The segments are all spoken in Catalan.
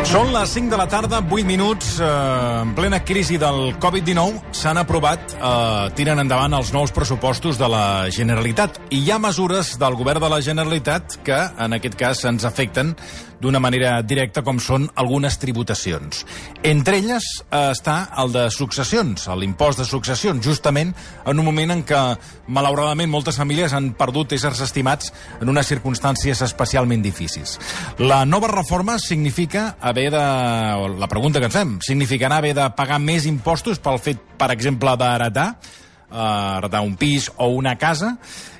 Són les 5 de la tarda, 8 minuts, en plena crisi del Covid-19, s'han aprovat, tiren endavant els nous pressupostos de la Generalitat. I hi ha mesures del govern de la Generalitat que, en aquest cas, ens afecten d'una manera directa, com són algunes tributacions. Entre elles està el de successions, l'impost de successions, justament en un moment en què, malauradament, moltes famílies han perdut éssers estimats en unes circumstàncies especialment difícils. La nova reforma significa la pregunta que ens fem, significarà haver de pagar més impostos pel fet, per exemple, d'heretar un pis o una casa,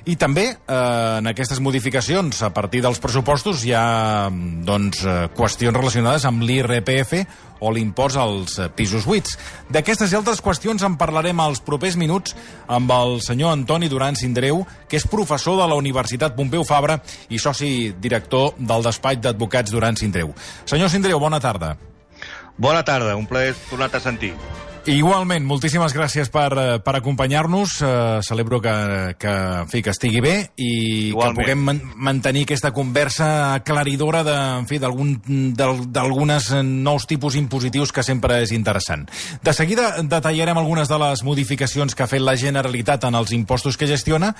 i també en aquestes modificacions a partir dels pressupostos hi ha qüestions relacionades amb l'IRPF o l'impost als pisos buits. D'aquestes i altres qüestions en parlarem als propers minuts amb el senyor Antoni Duran Sindreu, que és professor de la Universitat Pompeu Fabra i soci director del despatx d'advocats Duran Sindreu. Senyor Sindreu, bona tarda. Bona tarda, un plaer tornar-te a sentir. Igualment, moltíssimes gràcies per acompanyar-nos. Celebro que estigui bé i igualment, que puguem mantenir aquesta conversa aclaridora d'alguns nous tipus impositius, que sempre és interessant. De seguida detallarem algunes de les modificacions que ha fet la Generalitat en els impostos que gestiona,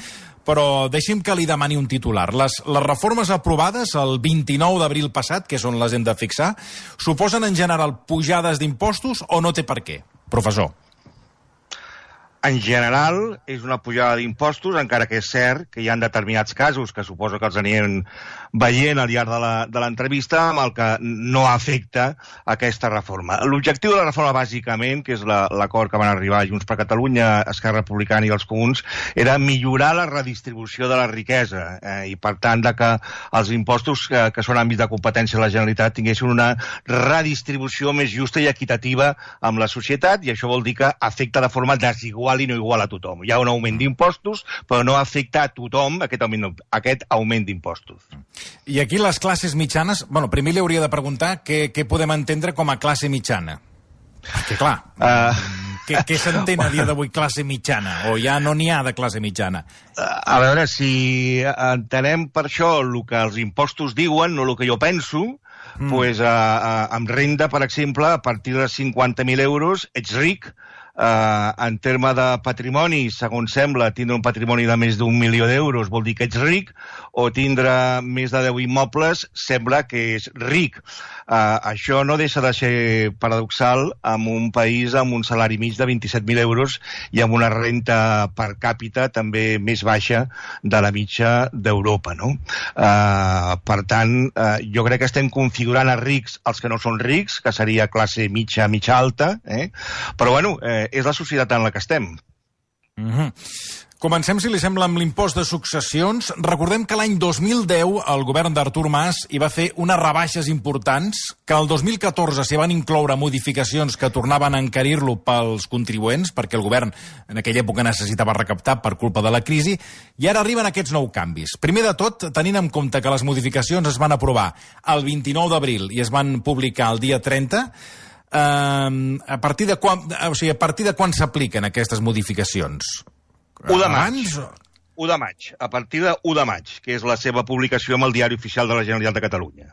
però deixi'm que li demani un titular. Les reformes aprovades el 29 d'abril passat, que és on les hem de fixar, suposen en general pujades d'impostos o no té per què? Professor. En general, és una pujada d'impostos, encara que és cert que hi ha determinats casos, que suposo que els anirem veient al llarg de l'entrevista, amb el que no afecta aquesta reforma. L'objectiu de la reforma, bàsicament, que és l'acord que van arribar Junts per Catalunya, Esquerra Republicana i els Comuns, era millorar la redistribució de la riquesa i, per tant, que els impostos que són àmbits de competència de la Generalitat tinguessin una redistribució més justa i equitativa amb la societat, i això vol dir que afecta de forma desigual i no igual a tothom. Hi ha un augment d'impostos, però no afecta a tothom aquest augment d'impostos. I aquí les classes mitjanes... Bueno, primer li hauria de preguntar què podem entendre com a classe mitjana. Perquè, clar, què s'entén a dia d'avui classe mitjana? O ja no n'hi ha de classe mitjana? A veure, si entenem per això el que els impostos diuen, no el que jo penso, doncs amb renda, per exemple, a partir de 50.000 euros, ets ric. En termes de patrimoni, segons sembla, tindre un patrimoni de més d'1 milió d'euros vol dir que ets ric, o tindre més de 10 immobles sembla que és ric. Això no deixa de ser paradoxal en un país amb un salari mig de 27.000 euros i amb una renta per càpita també més baixa de la mitja d'Europa, no? Per tant, jo crec que estem configurant a rics els que no són rics, que seria classe mitja alta, però bueno, és la societat en la que estem. Comencem, si li sembla, amb l'impost de successions. Recordem que l'any 2010 el govern d'Artur Mas hi va fer unes rebaixes importants, que el 2014 s'hi van incloure modificacions que tornaven a encarir-lo pels contribuents, perquè el govern en aquella època necessitava recaptar per culpa de la crisi, i ara arriben aquests nous canvis. Primer de tot, tenint en compte que les modificacions es van aprovar el 29 d'abril i es van publicar el dia 30, a partir de quan s'apliquen aquestes modificacions? 1 de maig. 1 de maig. A partir de 1 de maig, que és la seva publicació amb el Diari Oficial de la Generalitat de Catalunya.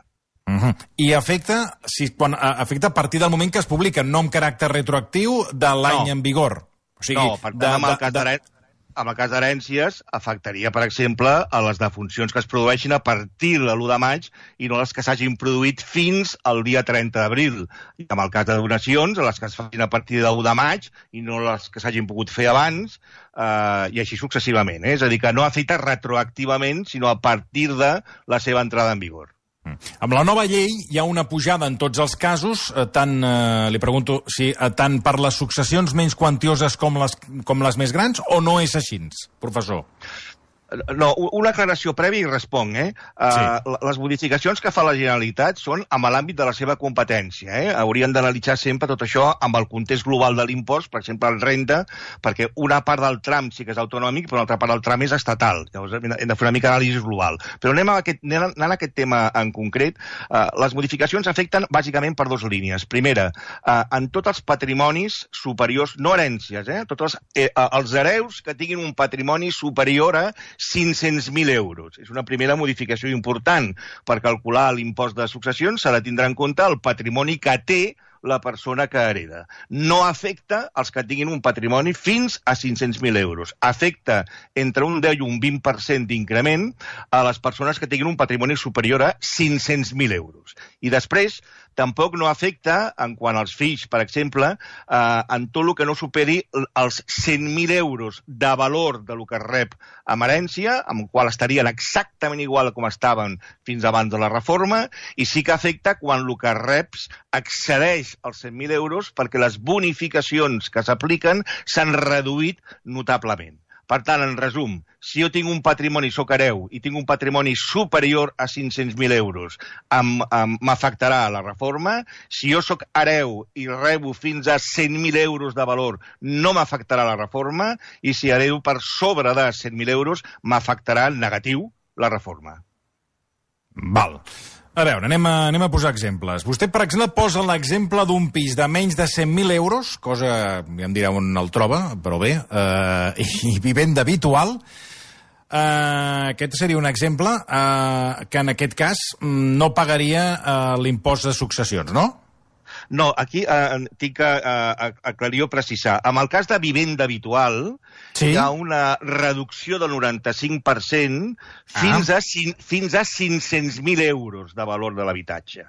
I afecta a partir del moment que es publica, no amb caràcter retroactiu de l'any en vigor. No, per tant, amb el cas d'herències, afectaria, per exemple, a les defuncions que es produeixin a partir de l'1 de maig i no les que s'hagin produït fins al dia 30 d'abril. I amb el cas de donacions, a les que es facin a partir del 1 de maig i no les que s'hagin pogut fer abans, i així successivament. És a dir, que no afecta retroactivament, sinó a partir de la seva entrada en vigor. Amb la nova llei hi ha una pujada en tots els casos, li pregunto si tant per les successions menys quantioses com les més grans, o no és així, professor? No, una aclaració prèvia i responc. Les modificacions que fa la Generalitat són amb l'àmbit de la seva competència. Haurien d'analitzar sempre tot això amb el context global de l'impost, per exemple, el renda, perquè una part del tram sí que és autonòmic, però una altra part del tram és estatal. Llavors hem de fer una mica d'anàlisi global. Però anant a aquest tema en concret, les modificacions afecten bàsicament per 2 línies. Primera, en tots els patrimonis superiors, no herències, tots els hereus que tinguin un patrimoni superior a 500.000 euros. És una primera modificació important. Per calcular l'impost de successions s'ha de tindre en compte el patrimoni que té la persona que hereda. No afecta els que tinguin un patrimoni fins a 500.000 euros. Afecta entre un 10 i un 20% d'increment a les persones que tinguin un patrimoni superior a 500.000 euros. I després, tampoc no afecta, en quant als fills, per exemple, en tot el que no superi els 100.000 euros de valor de lo que es rep amb herència, amb el qual estarien exactament igual com estaven fins abans de la reforma, i sí que afecta quan el que reps excedeix els 100.000 euros perquè les bonificacions que s'apliquen s'han reduït notablement. Per tant, en resum, si jo tinc un patrimoni, soc hereu, i tinc un patrimoni superior a 500.000 euros, m'afectarà la reforma. Si jo soc hereu i rebo fins a 100.000 euros de valor, no m'afectarà la reforma, i si heredo per sobre de 100.000 euros, m'afectarà en negatiu la reforma. Val. A veure, anem a posar exemples. Vostè, per exemple, posa l'exemple d'un pis de menys de 100.000 euros, cosa, ja em dirà on el troba, però bé, i vivenda habitual. Aquest seria un exemple que en aquest cas no pagaria l'impost de successions, no? No, aquí tinc que aclarir o precisar. En el cas de vivenda habitual, sí, hi ha una reducció del 95% fins a 500.000 euros de valor de l'habitatge.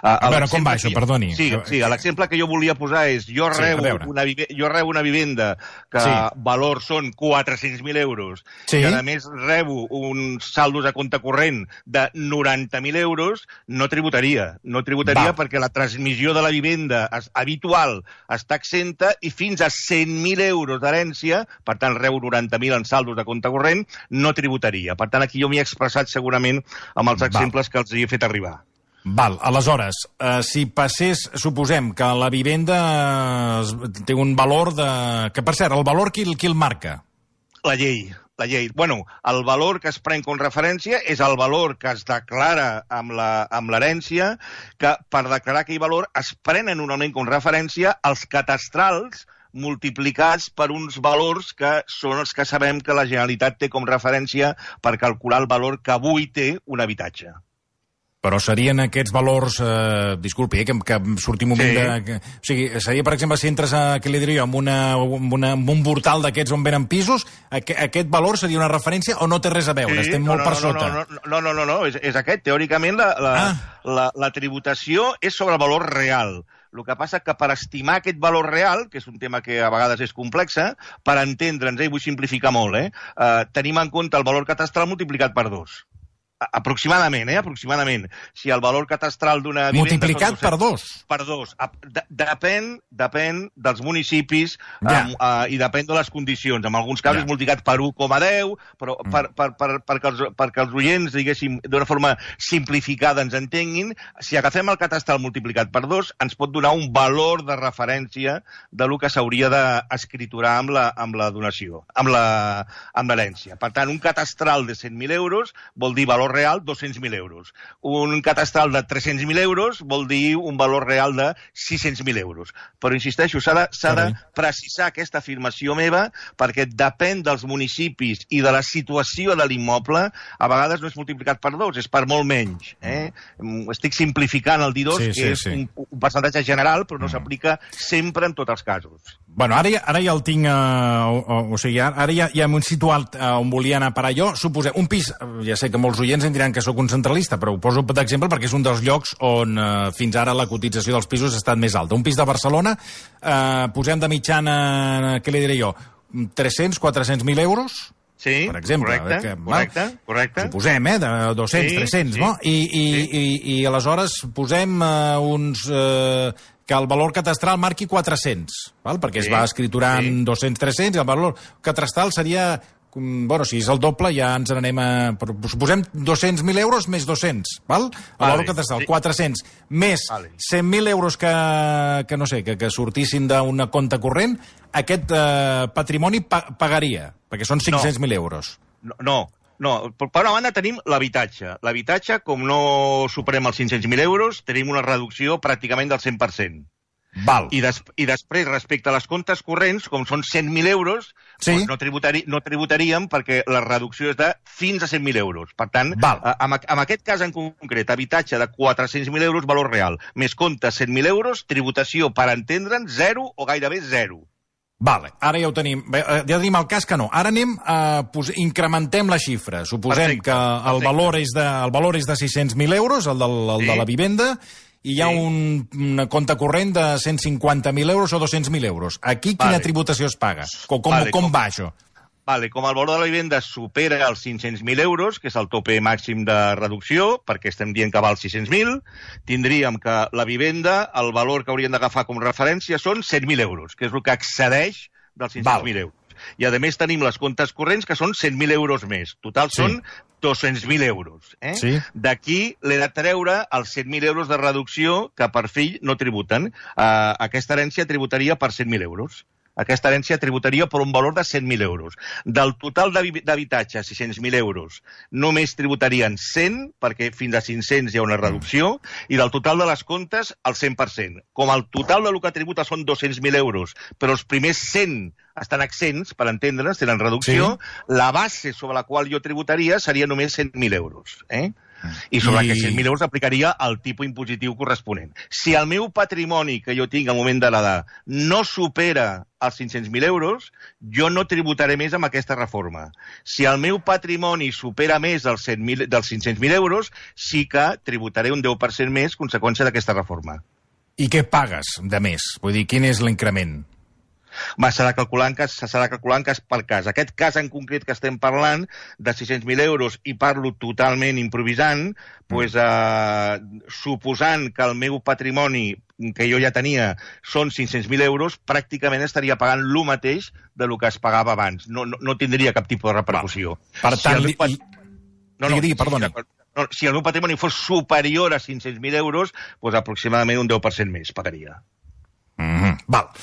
A veure, com va això? Perdoni. Sí, l'exemple que jo volia posar és jo rebo una vivenda que valor són 400.000 euros i a més rebo uns saldos a compte corrent de 90.000 euros, no tributaria. No tributaria perquè la transmissió de la vivenda habitual està exenta i fins a 100.000 euros d'herència, per tant, rebo 90.000 en saldos de compte corrent, no tributaria. Per tant, aquí jo m'hi he expressat segurament amb els exemples que els he fet arribar. Val, aleshores, si passés, suposem que la vivenda té un valor de... Que, per cert, el valor qui el marca? La llei. Bueno, el valor que es pren com referència és el valor que es declara amb l'herència, que per declarar aquell valor es prenen normalment com referència els catastrals multiplicats per uns valors que són els que sabem que la Generalitat té com referència per calcular el valor que avui té un habitatge. Però serien aquests valors, disculpi, que surti un moment de... O sigui, seria, per exemple, si entres què li diria jo, amb un portal d'aquests on venen pisos, aquest valor seria una referència o no té res a veure? Estem molt per sota. No, és aquest. Teòricament, la tributació és sobre el valor real. El que passa que per estimar aquest valor real, que és un tema que a vegades és complex, per entendre'ns, vull simplificar molt, tenim en compte el valor catastral multiplicat per 2. Aproximadament, aproximadament. Si el valor catastral d'una vivenda... Multiplicat per 2? Per 2. Depèn dels municipis i depèn de les condicions. En alguns casos multiplicat per 1,10, però perquè els oients, diguéssim, d'una forma simplificada ens entenguin, si agafem el catastral multiplicat per 2, ens pot donar un valor de referència de lo que s'hauria d'escriturar amb la donació, amb l'herència. Per tant, un catastral de 100.000 euros vol dir valor real 200.000 euros. Un catastral de 300.000 euros vol dir un valor real de 600.000 euros. Però, insisteixo, s'ha de precisar aquesta afirmació meva perquè depèn dels municipis i de la situació de l'immoble. A vegades no és multiplicat per 2, és per molt menys. Estic simplificant el dir 2, que és un percentatge general, però no s'aplica sempre en tots els casos. Bueno, ara ja el tinc... O sigui, ara ja hem situat on volia anar a parar jo. Suposem, un pis, ja sé que molts oients em diran que sóc un centralista, però ho poso d'exemple perquè és un dels llocs on fins ara la cotització dels pisos ha estat més alta. Un pis de Barcelona, posem de mitjana, què li diré jo, 300-400.000 euros? Sí, per exemple, correcte. Suposem, de 200, 300, no? I aleshores posem uns... que el valor catastral marqui 400, perquè es va escriturant 200, 300, i el valor catastral seria... Bueno, si és el doble, ja ens n'anem a... Suposem 200.000 euros més 200, val? El valor catastral, 400, més 100.000 euros que no sé, que sortissin d'un compte corrent, aquest patrimoni pagaria, perquè són 500.000 euros. No. Per una banda tenim l'habitatge. L'habitatge, com no superem els 500.000 euros, tenim una reducció pràcticament del 100%. Val. I després, respecte a les comptes corrents, com són 100.000 euros, sí, doncs no tributaríem perquè la reducció és de fins a 100.000 euros. Per tant, en aquest cas en concret, habitatge de 400.000 euros, valor real, més comptes 100.000 euros, tributació, per entendre'n, 0 o gairebé 0. Vale, ara ja ho tenim. Ja tenim el cas que no. Ara anem incrementem la xifra. Suposem que el valor és de 600.000 euros, el de la vivenda, i hi ha un compte corrent de 150.000 euros o 200.000 euros. Aquí quina tributació es paga? Com va això? Vale, com el valor de la vivenda supera els 500.000 euros, que és el tope màxim de reducció, perquè estem dient que val 600.000, tindríem que la vivenda, el valor que haurien d'agafar com referència són 100.000 euros, que és el que excedeix dels 500.000 euros. I, a més, tenim les comptes corrents, que són 100.000 euros més. Total són 200.000 euros. Sí. D'aquí l'he de treure els 100.000 euros de reducció que per fill no tributen. Aquesta herència tributaria per 100.000 euros. Aquesta herència tributaria per un valor de 100.000 euros. Del total d'habitatge, 600.000 euros, només tributarien 100, perquè fins a 500 hi ha una reducció, i del total de les comptes, el 100%. Com el total del que tributa són 200.000 euros, però els primers 100 estan exempts, per entendre's, tenen reducció, la base sobre la qual jo tributaria seria només 100.000 euros. I sobre aquests 100.000 euros aplicaria el tipus impositiu corresponent. Si el meu patrimoni que jo tinc al moment de l'edat no supera els 500.000 euros, jo no tributaré més amb aquesta reforma. Si el meu patrimoni supera més dels 500.000 euros, sí que tributaré un 10% més conseqüència d'aquesta reforma. I què pagues de més? Vull dir, quin és l'increment? S'ha de calcular en cas per cas. Aquest cas en concret que estem parlant, de 600.000 euros, i parlo totalment improvisant, suposant que el meu patrimoni que jo ja tenia són 500.000 euros, pràcticament estaria pagant el mateix del que es pagava abans. No tindria cap tipus de repercussió. Per tant, perdoni. Si el meu patrimoni fos superior a 500.000 euros, doncs aproximadament un 10% més pagaria. Val.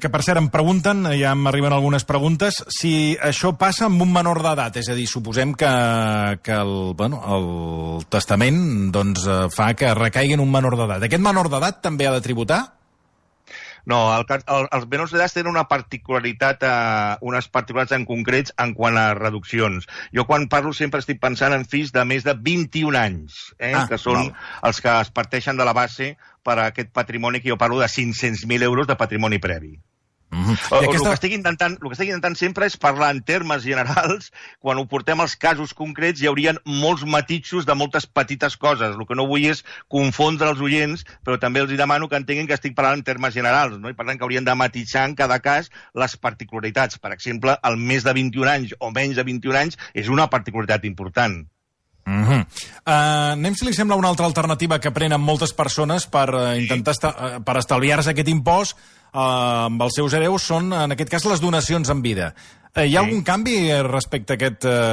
Que per cert em pregunten, ja m'arriben algunes preguntes, si això passa amb un menor d'edat, és a dir, suposem que el testament fa que recaigui en un menor d'edat. Aquest menor d'edat també ha de tributar? No, els menors d'edat tenen unes particularitats en concrets en quant a reduccions. Jo quan parlo sempre estic pensant en fills de més de 21 anys, que són els que es parteixen de la base per a aquest patrimoni que jo parlo de 500.000 euros de patrimoni previ. El que estic intentant sempre és parlar en termes generals. Quan ho portem als casos concrets hi haurien molts matisos de moltes petites coses. El que no vull és confondre els oients, però també els demano que entenguin que estic parlant en termes generals, no? I per tant que haurien de matisar en cada cas les particularitats. Per exemple, el més de 21 anys o menys de 21 anys és una particularitat important. Anem, si li sembla, una altra alternativa que prenen moltes persones per intentar per estalviar-se aquest impost amb els seus hereus són, en aquest cas, les donacions en vida. Hi ha algun canvi respecte a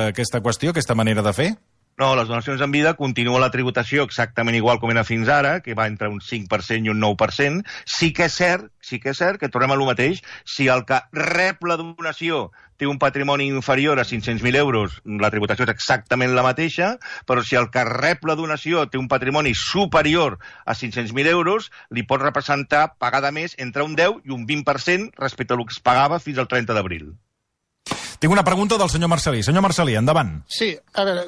aquesta qüestió, aquesta manera de fer? No, les donacions en vida continua la tributació exactament igual com era fins ara, que va entre un 5% i un 9%. Sí que és cert que tornem a lo mateix. Si el que rep la donació té un patrimoni inferior a 500.000 euros, la tributació és exactament la mateixa, però si el que rep la donació té un patrimoni superior a 500.000 euros, li pot representar pagar de més entre un 10 i un 20% respecte al que es pagava fins al 30 d'abril. Tinc una pregunta del senyor Marcelí. Senyor Marcelí, endavant. Sí, a veure,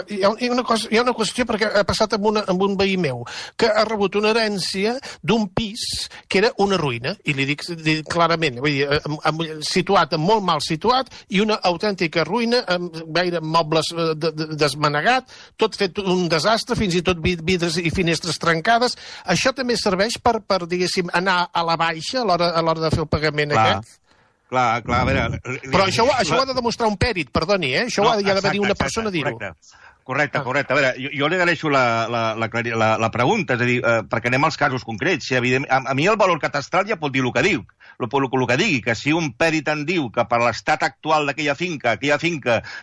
hi ha una qüestió perquè ha passat amb un veí meu, que ha rebut una herència d'un pis que era una ruïna, i li dic clarament, vull dir, situat, molt mal situat, i una autèntica ruïna, amb gaire mobles desmanegat, tot fet un desastre, fins i tot vidres i finestres trencades. Això també serveix per diguéssim, anar a la baixa a l'hora de fer el pagament aquest? Clar, a veure... Però això ho ha de demostrar un pèrit, perdoni, això ho ha de venir una persona a dir-ho. Correcte. A veure, jo li agraeixo la pregunta, és a dir, perquè anem als casos concrets. A mi el valor catastral ja pot dir el que diu, el que digui, que si un pèrit en diu que per l'estat actual d'aquella finca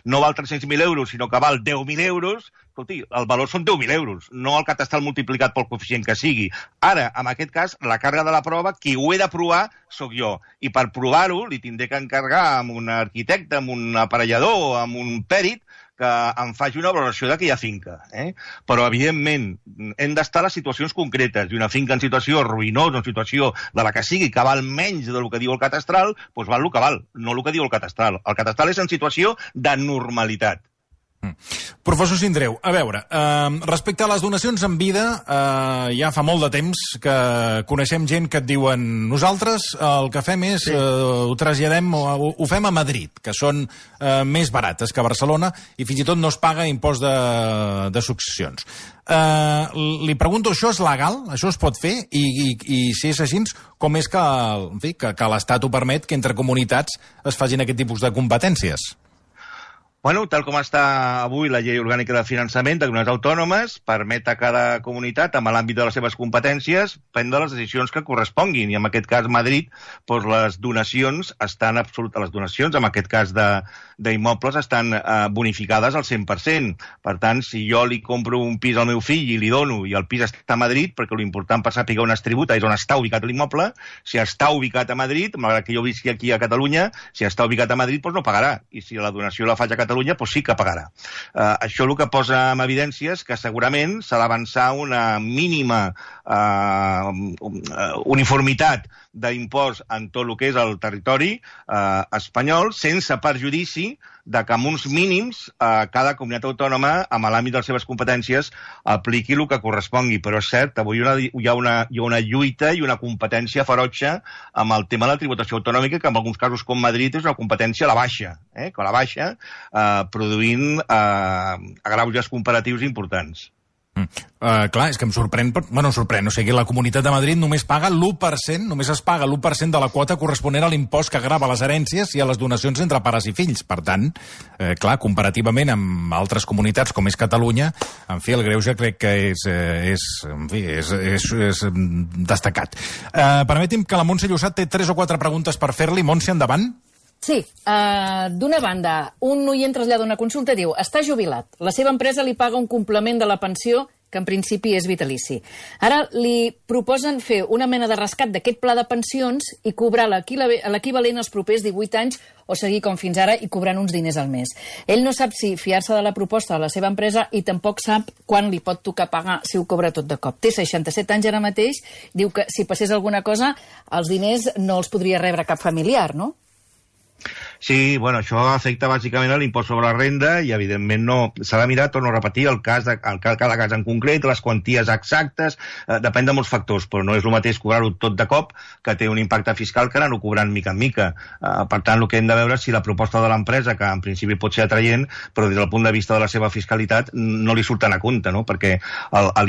no val 300.000 euros, sinó que val 10.000 euros, escolti, el valor són 10.000 euros, no el catastral multiplicat pel coeficient que sigui. Ara, en aquest cas, la càrrega de la prova, qui ho he de provar sóc jo. I per provar-ho li tindré que encarregar amb un arquitecte, amb un aparellador, amb un pèrit, que em faci una valoració d'aquella finca. Però, evidentment, hem d'estar a les situacions concretes. I una finca en situació ruïnosa, en situació de la que sigui, que val menys del que diu el catastral, doncs val el que val, no el que diu el catastral. El catastral és en situació de normalitat. Professor Sindreu, a veure, respecte a les donacions en vida, ja fa molt de temps que coneixem gent que et diuen nosaltres el que fem és, ho traslladem, ho fem a Madrid, que són més barates que a Barcelona i fins i tot no es paga impost de successions. Li pregunto, això és legal? Això es pot fer? I si és així, com és que l'Estat ho permet que entre comunitats es facin aquest tipus de competències? Bueno, tal com està avui la llei orgànica de finançament de comunitats autònomes, permet a cada comunitat, amb l'àmbit de les seves competències, prendre les decisions que corresponguin. I en aquest cas, Madrid, doncs les donacions estan absolutes. Les donacions, en aquest cas d'immobles, estan bonificades al 100%. Per tant, si jo li compro un pis al meu fill i li dono, i el pis està a Madrid, perquè l'important per saber on es tributa és on està ubicat l'immoble, si està ubicat a Madrid, malgrat que jo visqui aquí a Catalunya, si està ubicat a Madrid, doncs no pagarà. I si la donació la faig a Catalunya, doncs sí que pagarà. Això el que posa en evidència és que segurament s'ha d'avançar una mínima uniformitat d'impost en tot el que és el territori espanyol, sense perjudici de que amb uns mínims cada comunitat autònoma, amb l'àmbit de les seves competències, apliqui el que correspongui. Però és cert, avui hi ha una lluita i una competència ferotge amb el tema de la tributació autonòmica, que en alguns casos, com Madrid, és una competència a la baixa, que a la baixa, produint agreuges comparatius importants. Clar, és que em sorprèn, o sigui, la Comunitat de Madrid només paga l'1%, només es paga l'1% de la quota corresponent a l'impost que grava les herències i a les donacions entre pares i fills. Per tant, clar, comparativament amb altres comunitats com és Catalunya, en fi, el greuge crec que és destacat. Permeti'm que la Montse Llosat té 3 o 4 preguntes per fer-li. Montse, endavant. Sí, d'una banda, un oient trasllada una consulta i diu: està jubilat, la seva empresa li paga un complement de la pensió que en principi és vitalici. Ara li proposen fer una mena de rescat d'aquest pla de pensions i cobrar l'equivalent als propers 18 anys o seguir com fins ara i cobrant uns diners al mes. Ell no sap si fiar-se de la proposta de la seva empresa i tampoc sap quan li pot tocar pagar si ho cobra tot de cop. Té 67 anys ara mateix, diu que si passés alguna cosa els diners no els podria rebre cap familiar, no? Sí, bueno, això afecta bàsicament a l'impost sobre la renda i, evidentment, no s'ha de mirar, torno a repetir, cada cas en concret, les quanties exactes, depèn de molts factors, però no és el mateix cobrar-ho tot de cop, que té un impacte fiscal que anar-ho cobrant mica en mica. Per tant, el que hem de veure és si la proposta de l'empresa, que en principi pot ser atraient, però des del punt de vista de la seva fiscalitat no li surten a compte, no? Perquè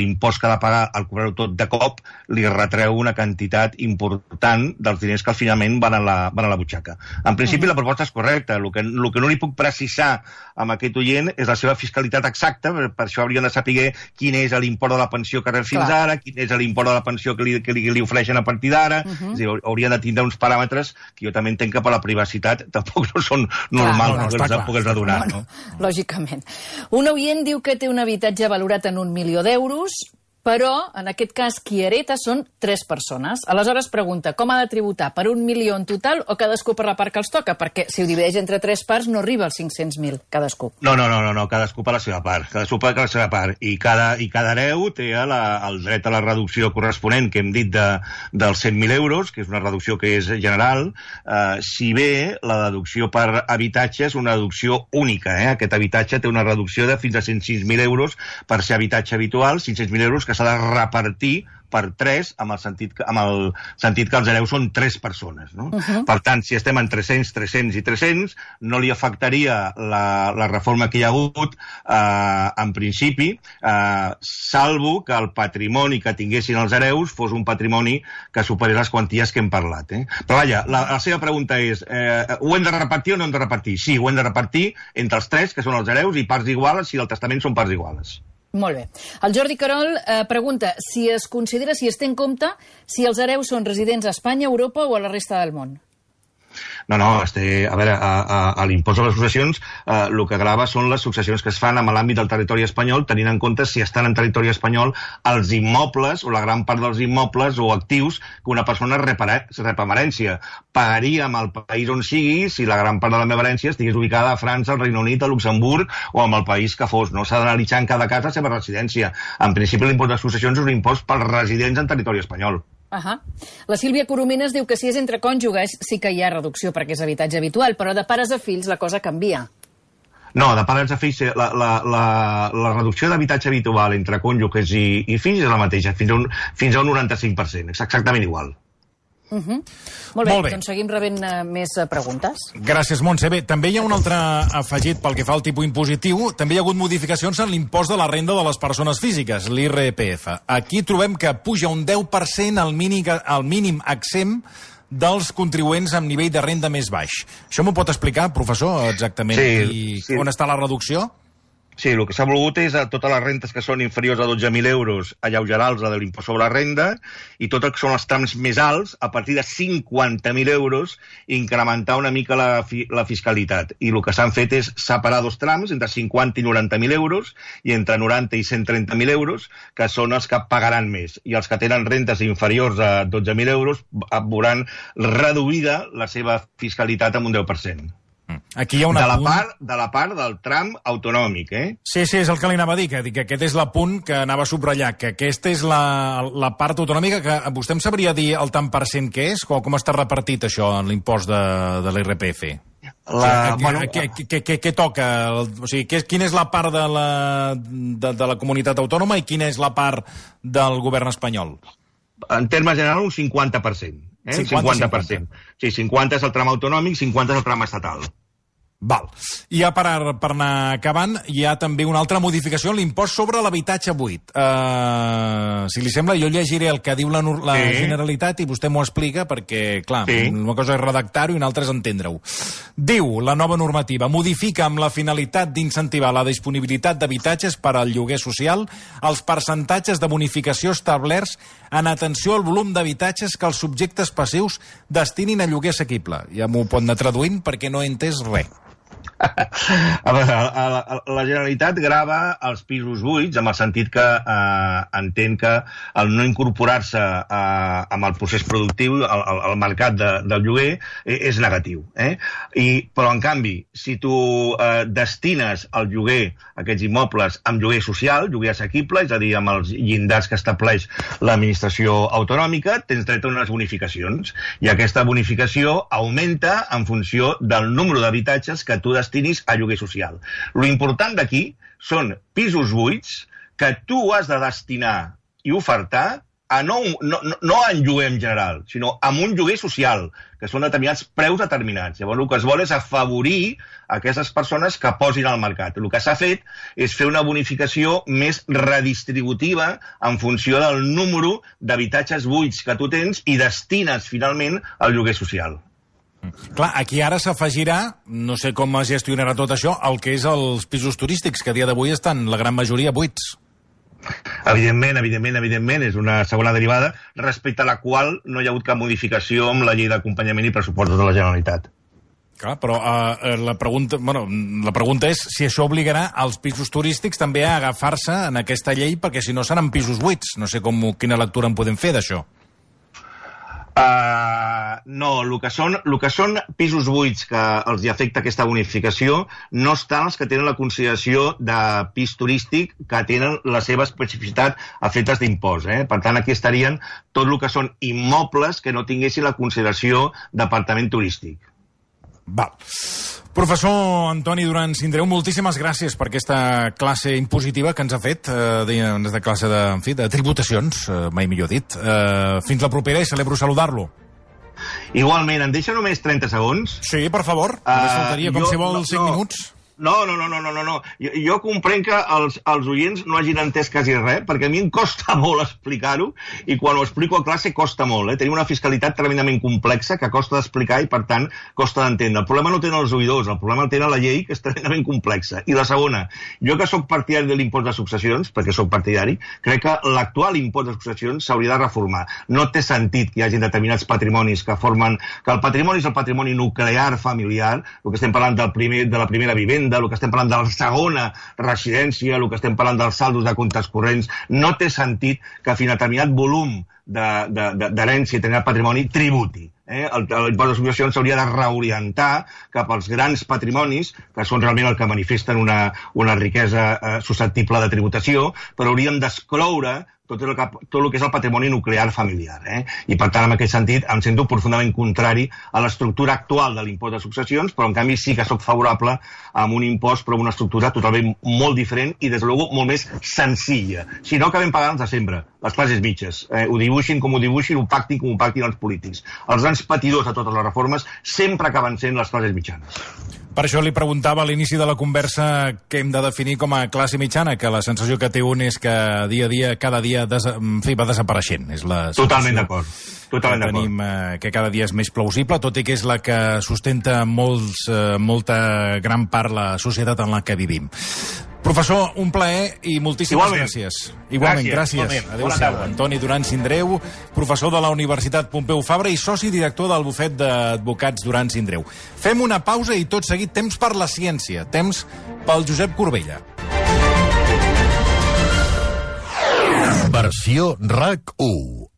l'impost que ha de pagar al cobrar-ho tot de cop li retreu una quantitat important dels diners que finalment van a la butxaca. En principi, la proposta és correcta. El que no li puc precisar amb aquest oient és la seva fiscalitat exacta, per això hauríem de saber quin és l'import de la pensió que rep fins ara, quin és l'import de la pensió que li ofereixen a partir d'ara. És a dir, haurien de tindre uns paràmetres que jo també entenc que per la privacitat tampoc no són normals, tampoc els de donar. Lògicament. Un oient diu que té un habitatge valorat en 1 milió d'euros, però, en aquest cas, qui hereta són 3 persones. Aleshores pregunta, com ha de tributar? Per 1 milió en total o cadascú per la part que els toca? Perquè si ho divideix entre 3 parts no arriba als 500.000 cadascú. No, cadascú per la seva part. Cadascú per la seva part. I cada hereu té el dret a la reducció corresponent, que hem dit dels 100.000 euros, que és una reducció que és general, si bé la deducció per habitatge és una deducció única. Aquest habitatge té una reducció de fins a 106.000 euros per ser habitatge habitual, 500.000 euros que s'ha de repartir per 3, amb el sentit que els hereus són 3 persones. No? Per tant, si estem en 300, 300 i 300, no li afectaria la reforma que hi ha hagut, en principi, salvo que el patrimoni que tinguessin els hereus fos un patrimoni que superés les quanties que hem parlat. Però vaja, la seva pregunta és, ho hem de repartir o no hem de repartir? Sí, ho hem de repartir entre els 3, que són els hereus, i parts iguales, si el testament són parts iguales. Molt bé. El Jordi Carol pregunta si es té en compte si els hereus són residents a Espanya, a Europa o a la resta del món. No, a veure, a l'impost de les successions el que grava són les successions que es fan amb l'àmbit del territori espanyol, tenint en compte si estan en territori espanyol els immobles o la gran part dels immobles o actius que una persona rep amb herència. Pagaria amb el país on sigui si la gran part de la meva herència estigués ubicada a França, al Regne Unit, a Luxemburg o amb el país que fos. No s'ha d'analitzar en cada cas la seva residència. En principi, l'impost de successions és un impost pels residents en territori espanyol. La Sílvia Coromines diu que si és entre cònjuges sí que hi ha reducció perquè és habitatge habitual, però de pares a fills la cosa canvia. No, de pares a fills, la reducció d'habitatge habitual entre cònjuges i fills és la mateixa, fins a un 95%, és exactament igual. Molt bé, doncs seguim rebent més preguntes. Gràcies, Montse. Bé, també hi ha un altre afegit pel que fa al tipus impositiu. També hi ha hagut modificacions en l'impost de la renda de les persones físiques, l'IRPF. Aquí trobem que puja un 10% al mínim exempt dels contribuents amb nivell de renda més baix. Això m'ho pot explicar, professor, exactament? Sí. On està la reducció? Sí, el que s'ha volgut és a totes les rentes que són inferiors a 12.000 euros alleugerar-los de l'impost sobre la renda i tot el que són els trams més alts, a partir de 50.000 euros, incrementar una mica la fiscalitat. I el que s'han fet és separar dos trams, entre 50 i 90.000 euros, i entre 90 i 130.000 euros, que són els que pagaran més. I els que tenen rentes inferiors a 12.000 euros veuran reduïda la seva fiscalitat amb un 10%. Aquí hi ha de la part del tram autonòmic, Sí, és el que li anava a dir, que aquest és l'apunt que anava a subratllar, que aquesta és la part autonòmica, que vostè em sabria dir el tant per cent que és? Com està repartit això en l'impost de l'IRPF? Què toca? O sigui, quina és la part de la comunitat autònoma i quina és la part del govern espanyol? En termes generals, un 50%. 50%. Sí, 50 és el tram autonòmic, 50 és el tram estatal. Val. I ja per anar acabant, hi ha també una altra modificació en l'impost sobre l'habitatge buit. Si li sembla, jo llegiré el que diu la Generalitat i vostè m'ho explica perquè, clar, una cosa és redactar-ho i una altra és entendre-ho. Diu la nova normativa, modifica amb la finalitat d'incentivar la disponibilitat d'habitatges per al lloguer social els percentatges de bonificació establerts en atenció al volum d'habitatges que els subjectes passius destinin a lloguer assequible. Ja m'ho pot anar traduint perquè no he entès res. A veure, la Generalitat grava els pisos buits amb el sentit que entén que el no incorporar-se amb el procés productiu, al mercat del lloguer, és negatiu. Però, en canvi, si tu destines al lloguer aquests immobles amb lloguer social, lloguer assequible, és a dir, amb els llindars que estableix l'administració autonòmica, tens dret a unes bonificacions. I aquesta bonificació augmenta en funció del número d'habitatges que tu destinis a lloguer social. Lo important d'aquí són pisos buits que tu has de destinar i ofertar no en lloguer en general, sinó amb un lloguer social, que són determinats preus determinats. Llavors, el que es vol és afavorir aquestes persones que posin al mercat. El que s'ha fet és fer una bonificació més redistributiva en funció del número d'habitatges buits que tu tens i destines, finalment, al lloguer social. Clar, aquí ara s'afegirà, no sé com es gestionarà tot això, el que és els pisos turístics, que a dia d'avui estan la gran majoria buits. Evidentment, és una segona derivada respecte a la qual no hi ha hagut cap modificació amb la llei d'acompanyament i pressupostos de la Generalitat. Clar, però la pregunta és si això obligarà els pisos turístics també a agafar-se en aquesta llei, perquè si no seran pisos buits. No sé quina lectura en podem fer d'això. No, el que són pisos buits que els hi afecta aquesta bonificació no estan els que tenen la consideració de pis turístic que tenen la seva especificitat a efectes d'impost. Per tant, aquí estarien tot el que són immobles que no tinguessin la consideració d'apartament turístic. Val. Professor Antoni Duran Sindreu, moltíssimes gràcies per aquesta classe impositiva que ens ha fet, de classe de tributacions, mai millor dit. Fins la propera i celebro saludar-lo. Igualment, em deixa només 30 segons? Sí, per favor. Només faltaria, com si vol, 5 minuts. No. Jo comprenc que els oients no hagin entès quasi res, perquè a mi em costa molt explicar-ho, i quan ho explico a classe costa molt. Tenim una fiscalitat tremendament complexa que costa d'explicar i, per tant, costa d'entendre. El problema no tenen els oïdors, el problema el tenen la llei, que és tremendament complexa. I la segona, jo que sóc partidari de l'impost de successions, perquè sóc partidari, crec que l'actual impost de successions s'hauria de reformar. No té sentit que hi hagi determinats patrimonis que formen... que el patrimoni és el patrimoni nuclear familiar, el que estem parlant de la primera vivenda, el que estem parlant de la segona residència, el que estem parlant dels saldos de comptes corrents. No té sentit que fins a determinat volum d'herència i determinat patrimoni tributi. L'impost de successions s'hauria de reorientar cap als grans patrimonis, que són realment el que manifesten una riquesa susceptible de tributació, però hauríem d'excloure tot el que és el patrimoni nuclear familiar. I, per tant, en aquest sentit, em sento profundament contrari a l'estructura actual de l'impost de successions, però, en canvi, sí que sóc favorable a un impost, però amb una estructura totalment molt diferent i, des de luego, molt més senzilla. Si no, acabem pagant els de sempre, les classes mitges. Ho dibuixin com ho dibuixin, ho pactin com ho pactin els polítics. Els grans patidors de totes les reformes sempre acaben sent les classes mitjanes. Per això li preguntava a l'inici de la conversa què hem de definir com a classe mitjana, que la sensació que té un és que dia a dia, cada dia, va desapareixent. És la Totalment d'acord. Totalment d'acord. Tenim que cada dia és més plausible, tot i que és la que sustenta molta gran part la societat en la que vivim. Professor, un plaer i moltíssimes gràcies. Igualment, gràcies. Adéu-siau. Antoni Duran Sindreu, professor de la Universitat Pompeu Fabra i soci director del bufet d'advocats Duran Sindreu. Fem una pausa i tot seguit temps per la ciència, temps pel Josep Corbella. Versió RAC 1.